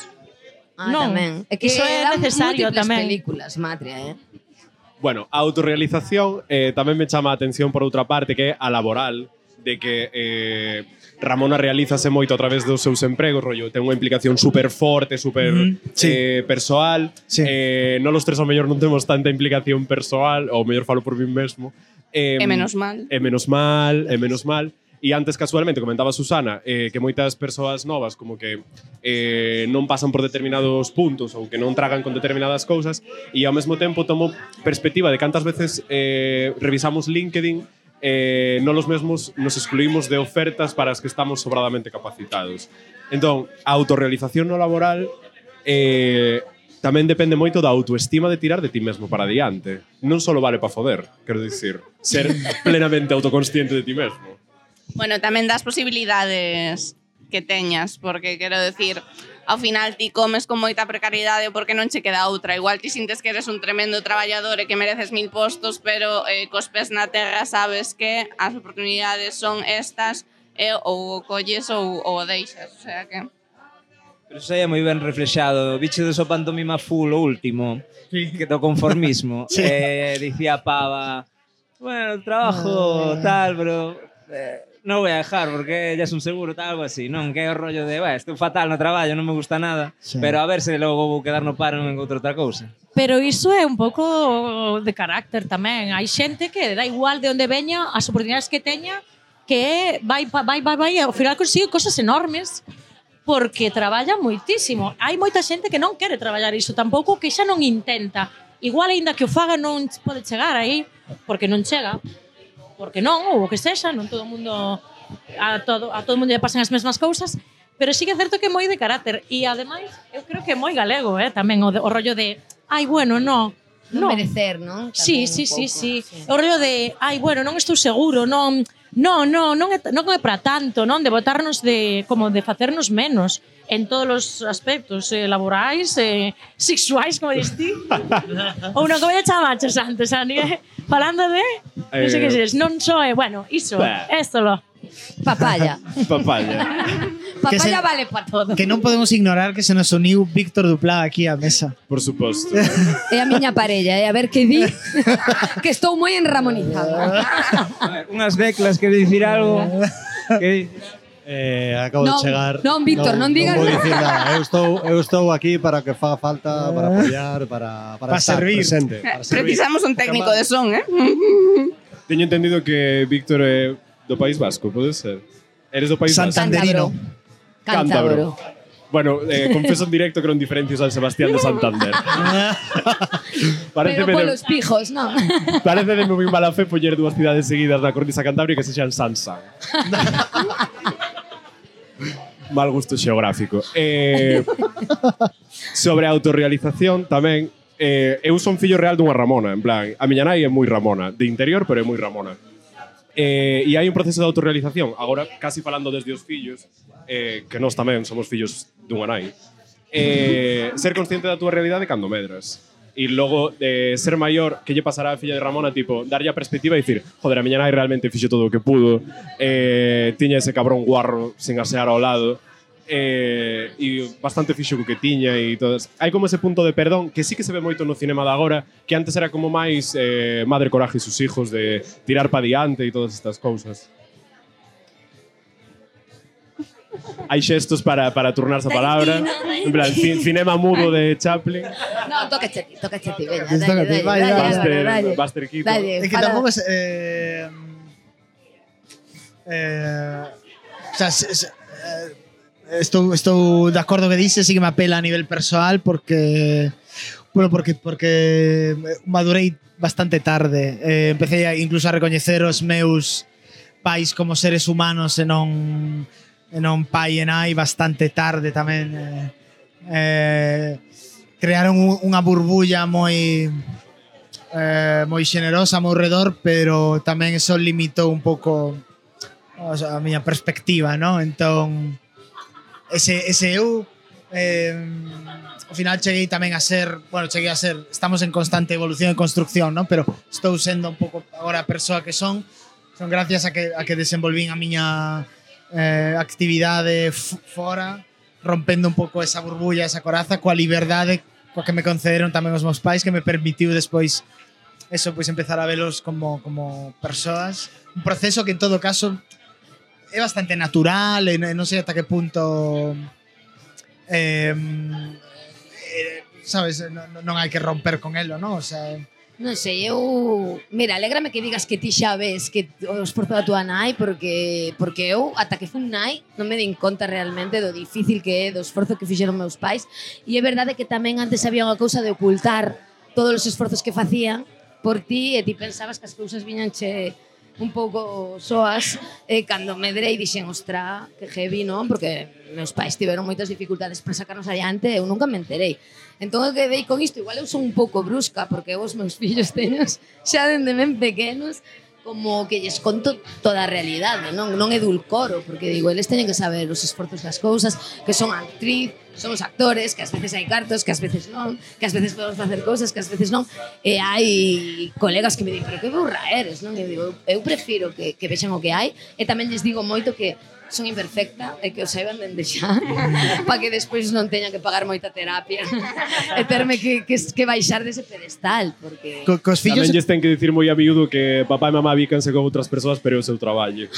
Ah, Non, tamén. É que iso é dan necesario múltiples tamén. películas, Matria, eh. Bueno, a autorrealización eh, tamén me chama a atención por outra parte, que é a laboral, de que eh, Ramona realízase moito a través dos seus empregos, rollo, ten unha implicación super forte, super Mm, sí. eh, persoal. Sí. Eh, non los tres ao mellor non temos tanta implicación persoal, ou mellor falo por mí mesmo. Eh, E menos mal. É menos mal, é menos mal. E antes, casualmente, comentaba Susana eh, que moitas persoas novas como que eh, non pasan por determinados puntos ou que non tragan con determinadas cousas e ao mesmo tempo tomo perspectiva de cantas veces eh, revisamos LinkedIn eh, non los mesmos nos excluímos de ofertas para as que estamos sobradamente capacitados. Entón, a autorrealización no laboral eh, tamén depende moito da autoestima de tirar de ti mesmo para diante. Non só vale para foder, quero dicir, ser plenamente autoconsciente de ti mesmo. Bueno, tamén das posibilidades que teñas, porque quero decir, ao final ti comes con moita precariedade porque non che queda outra. Igual ti sintes que eres un tremendo traballador e que mereces mil postos, pero eh, cos pés na terra sabes que as oportunidades son estas e ou o colles ou, ou o deixas. O sea que... Pero eso é moi ben reflexado. Biche de so pantomima full o último, Sí. que do conformismo. Sí. Eh, dicía Pava, bueno, trabajo tal, pero eh, non voy a dejar porque ya es un seguro, tal, algo así. Non, que é o rollo de, "Bah, estou fatal no traballo, non me gusta nada, Sí. pero a ver se logo vou quedar no paro en outra outra cousa." Pero iso é un pouco de carácter tamén. Hai xente que dá igual de onde veña, as oportunidades que teña, que vai, vai, vai, vai, ao final consigue cosas enormes porque traballa moitísimo. Hai moita xente que non quere traballar iso tampouco, que xa non intenta. Igual, aínda que o faga, non pode chegar aí, porque non chega. Porque non, ou o que sexa, non todo o mundo a todo, a todo o mundo lle pasan as mesmas cousas, pero sí que é certo que é moi de carácter. E, ademais, eu creo que é moi galego, eh, tamén, o, de, o rollo de ai, bueno, no, Non no. merecer, non? Sí, Tamén sí, un sí, pouco, sí. O rollo de, ai, bueno, non estou seguro, non, non, non, non é, non é para tanto, non, de botarnos de, como de facernos menos en todos os aspectos eh, laborais, eh, sexuais, como dis ti. Ou non, como lle chamaches antes, Ani, eh? Falando de, non sei que Eh, ses, non só é, bueno, iso, bah. esto lo. Papaya. Papaya. Papá se- ya vale para todo. Que non podemos ignorar que se nos uniu Víctor Duplá aquí á mesa. Por suposto. É a miña parella, e a ver que di, que estou moi enramonizada. A ver, unhas declas, quere dicir algo? Que Eh, acabo Non, de chegar. non, Víctor, non digas Non vou nada. dicir nada. Eu estou, eu estou aquí para que faga falta, para apoiar, para, para Para estar servir. presente. Para servir. Precisamos un técnico de son, eh? Teño entendido que Víctor é do País Vasco, pode ser? Eres do País Vasco? Santanderino. Cántabro. Bueno, eh, confeso en directo que non diferencio San Sebastián de Santander. Pero Pareceme de, polos pijos, non? parece de moi mala fe poñer dúas cidades seguidas na cornisa cantabria que sexan Sansan. Mal gusto xeográfico. Eh, sobre a autorrealización tamén, eh, eu son fillo real dunha Ramona, en plan, a miña nai é moi Ramona, de interior, pero é moi Ramona. Eh, e hai un proceso de autorrealización, agora casi falando desde os fillos, eh, que nós tamén somos fillos dunha nai, eh, ser consciente da túa realidade cando medras. E logo, eh, ser maior, que lle pasará a filla de Ramona, tipo, darlle a perspectiva e dicir, joder, a miña nai realmente fixo todo o que pudo, eh, tiña ese cabrón guarro sin asear ao lado, eh, e bastante fixo co que tiña e todas. Hai como ese punto de perdón que sí que se ve moito no cinema de agora, que antes era como máis eh, madre coraje e sus hijos de tirar pa diante e todas estas cousas. Hai xestos para, para turnarse a palabra. En plan, cin- cinema mudo de Chaplin. No, toca ti, toca ti, veña, Tócate, dalle, dalle, vai, dalle, vai. Buster, dalle, Buster Keaton. dalle, É que fala. tampouco es... Eh, eh, o sea, se, se, eh, estou, estou de acordo que dices, sí que me apela a nivel persoal porque bueno, porque porque madurei bastante tarde. Eh, empecé a, incluso a recoñecer os meus pais como seres humanos e non e non pai e nai bastante tarde tamén. Eh, eh, crearon un- unha burbulla moi eh, moi xenerosa a meu redor, pero tamén eso limitou un pouco o sea, a miña perspectiva, ¿no? Entón, ese, ese eu eh, ao final cheguei tamén a ser, bueno, cheguei a ser, estamos en constante evolución e construcción, ¿no? Pero estou sendo un pouco agora a persoa que son, son gracias a que, a que desenvolvín a miña eh, actividade f- fora, rompendo un pouco esa burbulla, esa coraza, coa liberdade coa que me concederon tamén os meus pais, que me permitiu despois eso, pois empezar a velos como, como persoas. Un proceso que en todo caso é bastante natural e non sei ata que punto eh, eh, sabes, non, non hai que romper con elo, non? O sea, Non sei, eu... Mira, alégrame que digas que ti xa ves que o esforzo da tua nai porque porque eu, ata que fun nai, non me din conta realmente do difícil que é, do esforzo que fixeron meus pais. E é verdade que tamén antes había unha cousa de ocultar todos os esforzos que facían por ti e ti pensabas que as cousas viñan che un pouco soas e cando medrei dixen, ostra, que heavy, non? Porque meus pais tiveron moitas dificultades para sacarnos adiante e eu nunca me enterei. Entón eu quedei con isto, igual eu son un pouco brusca porque eu os meus fillos teños xa dende ben pequenos como que lles conto toda a realidade, non, non edulcoro, porque digo, eles teñen que saber os esforzos das cousas, que son actriz, somos actores, que ás veces hai cartos, que ás veces non, que ás veces podemos facer cousas, que ás veces non, e hai colegas que me din, pero que burra eres, non? E eu digo, eu prefiro que, que vexan o que hai, e tamén lles digo moito que son imperfecta e que o saiban dende xa para que despois non teña que pagar moita terapia e terme que, que, que baixar dese pedestal porque... co, cos fillos Tamén lles ten que dicir moi a miúdo que papá e mamá bícanse con outras persoas, pero é o seu traballo.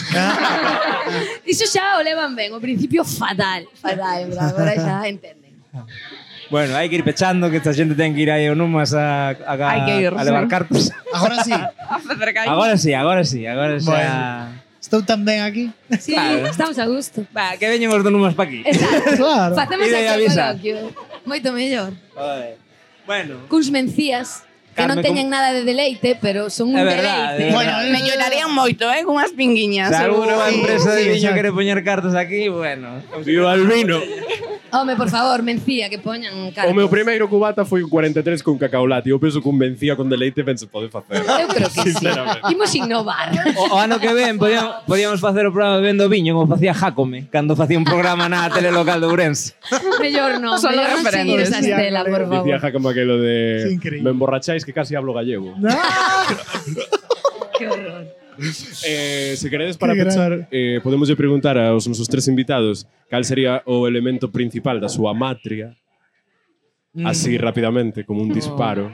Iso xa o levan ben, o principio fatal, fatal, pero agora xa entenden. Bueno, hai que ir pechando, que esta xente ten que ir aí ao Numas a, a, a, Hai que ir, a levar sí. cartos. agora sí. A facer caña. Agora sí, agora sí, agora xa... Bueno. Estou tan ben aquí. Sí, Claro. estamos a gusto. Va, que veñen os do Numas pa aquí. Exacto. Claro. Facemos Ide e aquí o avisa. coloquio. Moito mellor. Joder. Bueno, Cuns mencías que Carme, non teñen como- nada de deleite, pero son un É verdade, deleite. é Bueno, verdade. Mellorarían moito, eh, cunhas pinguiñas, se seguro. alguna empresa de Sí, viño exacto. quere poñer cartos aquí, bueno. Viva el vino! Home, por favor, mencía, que poñan cartos. O meu primeiro cubata foi un cuarenta e tres con cacaolate. Eu penso que un vencía con deleite ben se pode facer. Eu creo que sí. Sinceramente. Imos innovar. O, o ano que ven podíamos, podíamos facer o programa Bebendo Viño como facía Jacome cando facía un programa na tele local de Ourense. Mellor non, Son mellor non seguir referentes. esa estela, por Dicía favor. Jacob aquelo Sí, de increíble. me emborracháis que casi hablo gallego. Que horror. Eh, se queredes para Que pechar, eh, podemos lle preguntar aos nosos tres invitados cal sería o elemento principal da súa matria, así rapidamente, como un disparo.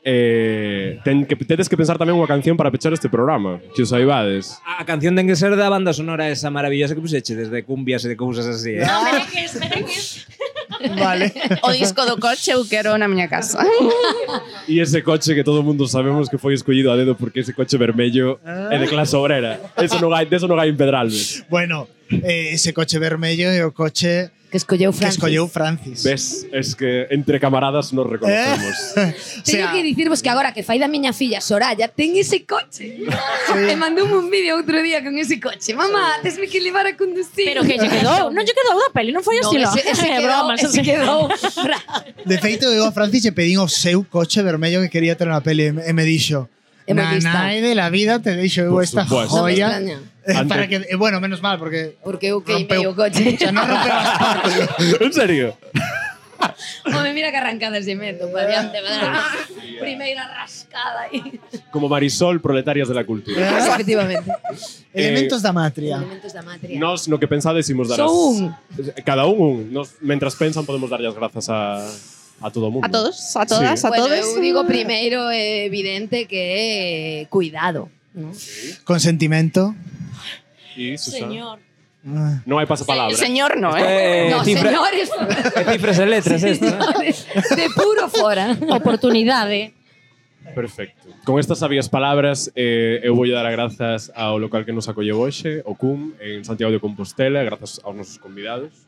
Eh, ten que, tedes que pensar tamén unha canción para pechar este programa, que os saibades. A canción ten que ser da banda sonora esa maravillosa que puxeche, desde cumbias e de cousas así, eh? No, merengues, merengues. Vale. O disco do coche eu quero na miña casa. E ese coche que todo mundo sabemos que foi escollido a dedo porque ese coche vermello é de clase obrera. Eso non hai, deso non hai en Pedralbes. Bueno, eh, ese coche vermello é o coche Que escolleu que Francis. escolleu Francis. Ves, es que entre camaradas nos reconocemos. O Teño sea, que dicirvos que agora que fai da miña filla Soraya ten ese coche. E mandoume un vídeo outro día con ese coche. Mamá, tesme que levar a conducir. Pero que lle quedou, non lle quedou da peli, non foi así, No, lo. ese, ese É quedou, broma, ese quedou. de feito, eu a Francis lle pedín o seu coche vermello que quería ter na peli e me dixo É moi na lista. nai de la vida te deixo eu Por esta supuesto. Non me joya. extraña. Eh, Ante- para que, eh, bueno, menos mal, porque Porque eu queimei rompeu- o coche. O sea, non rompeu as partes. En serio? Home, mira que arrancadas de meto, pa diante, primeira rascada aí. Como Marisol, proletarias de la cultura. Efectivamente. Elementos da matria. Elementos da matria. Nos, no que pensades, imos dar Só as... un. Cada un un. Nos, mentras pensan, podemos darlle as grazas a, a todo o mundo. A todos, a todas, Sí. a Bueno, todos. eu digo primeiro é evidente que é cuidado, ¿no? Consentimento. E, Susana, Señor. Ah. non hai pasapalabra. Señor, no, eh. Eh, no, cifra- señores, eh, cifras e letras, esto. señores, de puro fora. Oportunidade. Perfecto. Con estas sabias palabras, eh, eu vou dar as grazas ao local que nos acolleu hoxe, o C U M, en Santiago de Compostela, grazas aos nosos convidados.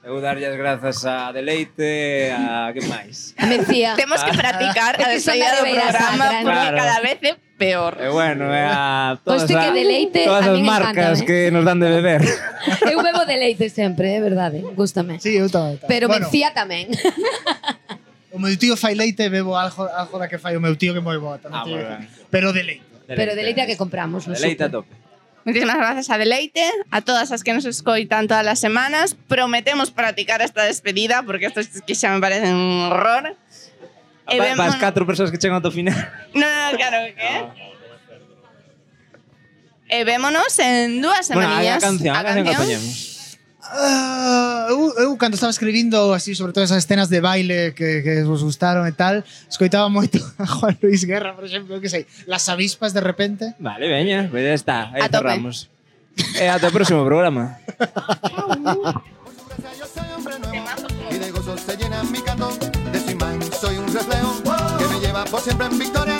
Eu darlle as grazas a Deleite, a que máis? A Mencía. Temos que practicar a É que son despedida do de Ribeira programa Sacra, porque claro. cada vez é peor. E bueno, é a todas, Poste a, que Deleite todas a as min marcas encántame. que nos dan de beber. Eu bebo de leite sempre, é verdade, gústame. Sí, eu tamén. tamén. Pero bueno, Mencía tamén. o meu tío fai leite e bebo algo, algo da que fai o meu tío que moi boa. tamén Ah, te digo. moi ben. Pero de leite. Pero de leite a que compramos, no Deleite a súper. tope. Muchísimas gracias a Deleite, a todas as que nos escoitan todas as semanas. Prometemos practicar esta despedida porque isto es que xa me parece un horror. E Pa, vemo- pa as catro persoas que chegan ao final. No, no, claro, que E vémonos en dúas Bueno, hai a semaninhas. canción, a canción que canción. poñemos. Ah, eu, eu cando estaba escribindo así sobre todas esas escenas de baile que, que vos gustaron e tal, escoitaba moito a Juan Luis Guerra, por exemplo, que sei, Las avispas de repente. Vale, veña, pues ya está, aí A tope. cerramos. E ata o próximo programa. Yo soy hombre nuevo y de gozo se llena mi cantón. De su imán soy un reflejo que me lleva por siempre en victoria.